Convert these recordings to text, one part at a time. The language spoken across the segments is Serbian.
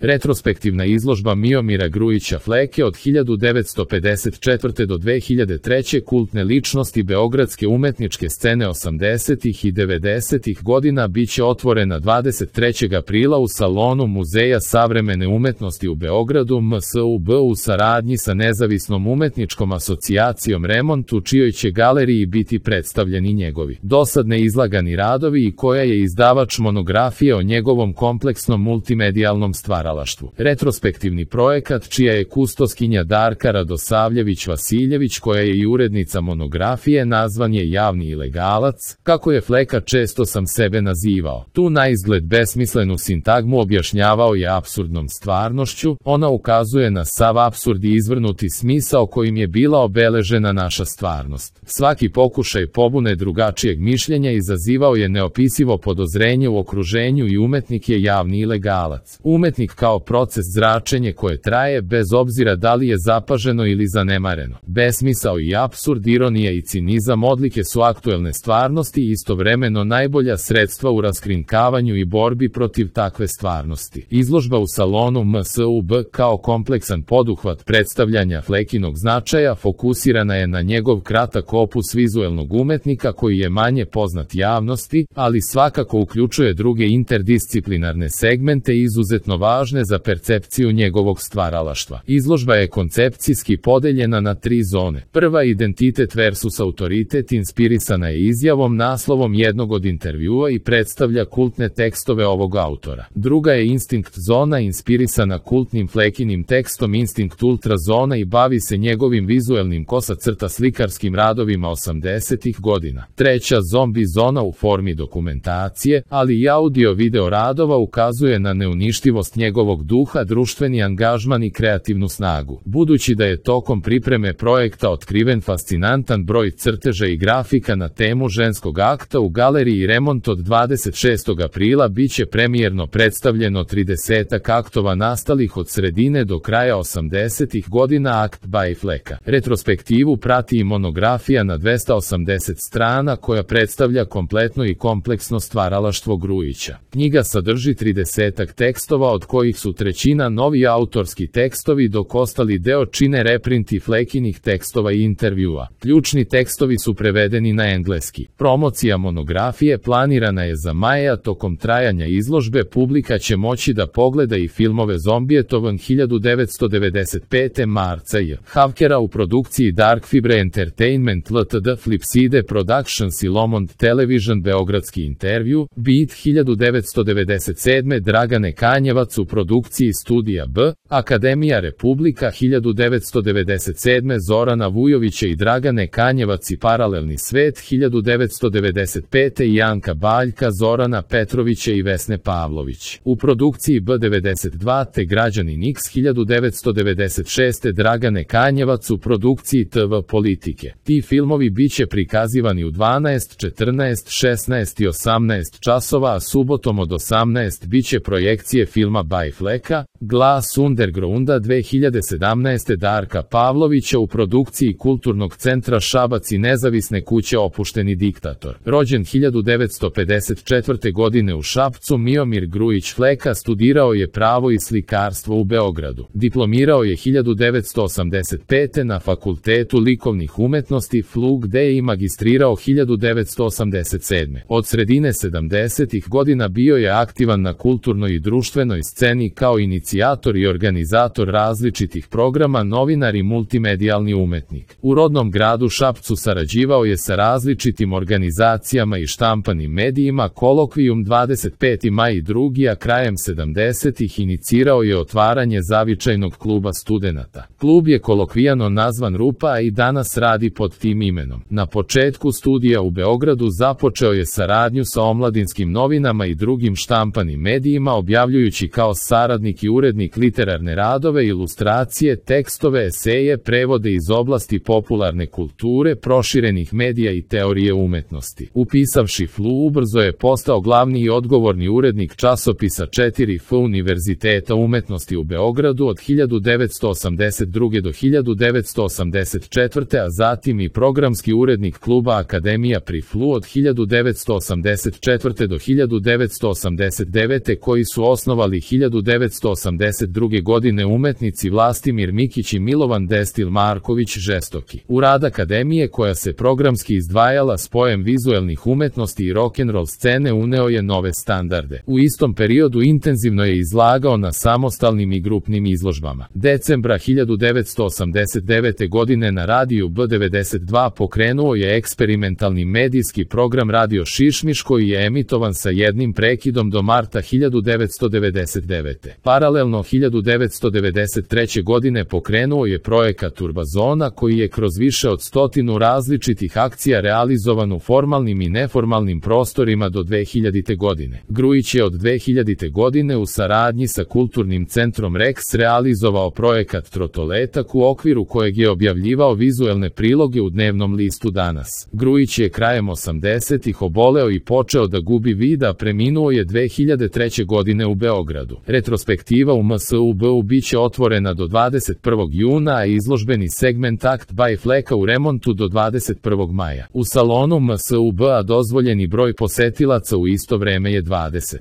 Retrospektivna izložba Miomira Grujića Fleke od 1954. do 2003. kultne ličnosti beogradske umetničke scene 80. i 90. godina biće otvorena 23. aprila u salonu Muzeja savremene umetnosti u Beogradu MSUB u saradnji sa Nezavisnom umetničkom asocijacijom Remont, u čijoj će galeriji biti predstavljeni njegovi dosad neizlagani radovi i koja je izdavač monografije o njegovom kompleksnom multimedijalnom stvaralaštvu. Retrospektivni projekat, čija je kustoskinja Darka Radosavljević-Vasiljević, koja je i urednica monografije, nazvan je Javni ilegalac, kako je Fleka često sam sebe nazivao. Tu naizgled besmislenu sintagmu objašnjavao je apsurdnom stvarnošću. Ona ukazuje na sav apsurd i izvrnuti smisao kojim je bila obeležena naša stvarnost. Svaki pokušaj pobune drugačijeg mišljenja izazivao je neopisivo podozrenje u okruženju i umetnik je javni ilegalac. Umetnik kao proces zračenje koje traje bez obzira da li je zapaženo ili zanemareno. Besmisao i apsurd, ironija i cinizam odlike su aktuelne stvarnosti i istovremeno najbolja sredstva u raskrinkavanju i borbi protiv takve stvarnosti. Izložba u salonu MSUB kao kompleksan poduhvat predstavljanja Flekinog značaja fokusirana je na njegov kratak opus vizuelnog umetnika koji je manje poznat javnosti, ali svakako uključuje druge interdisciplinarne segmente izuzetno važne za percepciju njegovog stvaralaštva. Izložba je koncepcijski podeljena na 3 zone. Prva, identitet versus autoritet, inspirisana je izjavom naslovom jednog od intervjua i predstavlja kultne tekstove ovog autora. Druga je instinkt zona, inspirisana kultnim Flekinim tekstom Instinkt ultra zona i bavi se njegovim vizuelnim kosa-crta slikarskim radovima 80. godina. Treća, zombi zona, u formi dokumentacije, ali i audio-video radova, ukazuje na neuništivost njegovog duha, društveni angažman i kreativnu snagu. Budući da je tokom pripreme projekta otkriven fascinantan broj crteža i grafika na temu ženskog akta, u galeriji Remont od 26. aprila biće premijerno predstavljeno 30 aktova nastalih od sredine do kraja 80. godina Akt by Fleka. Retrospektivu prati i monografija na 280 strana koja predstavlja kompletno i kompleksno stvaralaštvo Grujića. Knjiga sadrži 30 tekstova, od kojih su trećina novi autorski tekstovi, dok ostali deo čine reprinti Flekinih tekstova i intervjua. Ključni tekstovi su prevedeni na engleski. Promocija monografije planirana je za maj, a tokom trajanja izložbe publika će moći da pogleda i filmove Zombietovan 1995. marca J. Havkera u produkciji Dark Fibre Entertainment Ltd, Flipside Productions i Lomond Television, beogradski intervju, Beat 1997. Dragane Kanjevac u produkciji Studija B, Akademija Republika 1997. Zorana Vujovića i Dragane Kanjevac i Paralelni svet 1995. i Janka Baljka, Zorana Petrovića i Vesne Pavlović. U produkciji B92 te Građanin X 1996. Dragane Kanjevac u produkciji TV Politike. Ti filmovi biće prikazivani u 12, 14, 16 i 18 časova, a subotom od 18 biće projekcije filma by Fleka, Glas undergrounda 2017. Darka Pavlovića u produkciji Kulturnog centra Šabac i nezavisne kuće Opušteni diktator. Rođen 1954. godine u Šapcu, Miomir Grujić Fleka studirao je pravo i slikarstvo u Beogradu. Diplomirao je 1985. na Fakultetu likovnih umetnosti FLU, gde je i magistrirao 1987. Od sredine 70. godina bio je aktivan na kulturnoj i društvenoj sceni kao inicijator i organizator različitih programa, novinar i multimedijalni umetnik. U rodnom gradu Šapcu sarađivao je sa različitim organizacijama i štampanim medijima. Kolokvijum 25. maj i drugi, a krajem 70. inicirao je otvaranje zavičajnog kluba studenata. Klub je kolokvijano nazvan Rupa, a i danas radi pod tim imenom. Na početku studija u Beogradu započeo je saradnju sa omladinskim novinama i drugim štampanim medijima, objavljujući kao saradnik i urednik literarne radove, ilustracije, tekstove, eseje, prevode iz oblasti popularne kulture, proširenih medija i teorije umetnosti. Upisavši FLU, ubrzo je postao glavni i odgovorni urednik časopisa 4F Univerziteta umetnosti u Beogradu od 1982. do 1984. a zatim i programski urednik kluba Akademija pri FLU od 1984. do 1989. koji su osnovali 1989. 1982. godine umetnici Vlastimir Mikić i Milovan Destil Marković Žestoki. U rad akademije, koja se programski izdvajala spojem vizuelnih umetnosti i rock'n'roll scene, uneo je nove standarde. U istom periodu intenzivno je izlagao na samostalnim i grupnim izložbama. Decembra 1989. godine na radiju B92 pokrenuo je eksperimentalni medijski program Radio Šišmiš, koji je emitovan sa jednim prekidom do marta 1999. Paralelno 1993. godine pokrenuo je projekat Urbazona, koji je kroz više od 100 različitih akcija realizovan u formalnim i neformalnim prostorima do 2000. godine. Grujić je od 2000. godine u saradnji sa Kulturnim centrom Rex realizovao projekat Trotoletak, u okviru kojeg je objavljivao vizuelne priloge u dnevnom listu Danas. Grujić je krajem 80-ih oboleo i počeo da gubi vid, a preminuo je 2003. godine u Beogradu. Retrospektiva u MSUB-u biće otvorena do 21. juna, a izložbeni segment Akt by Fleka u remontu do 21. maja. U salonu MSUB-a dozvoljeni broj posetilaca u isto vreme je 20.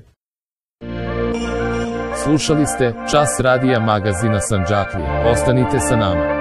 Slušali ste Čas radija magazina Sandžaklije. Ostanite sa nama.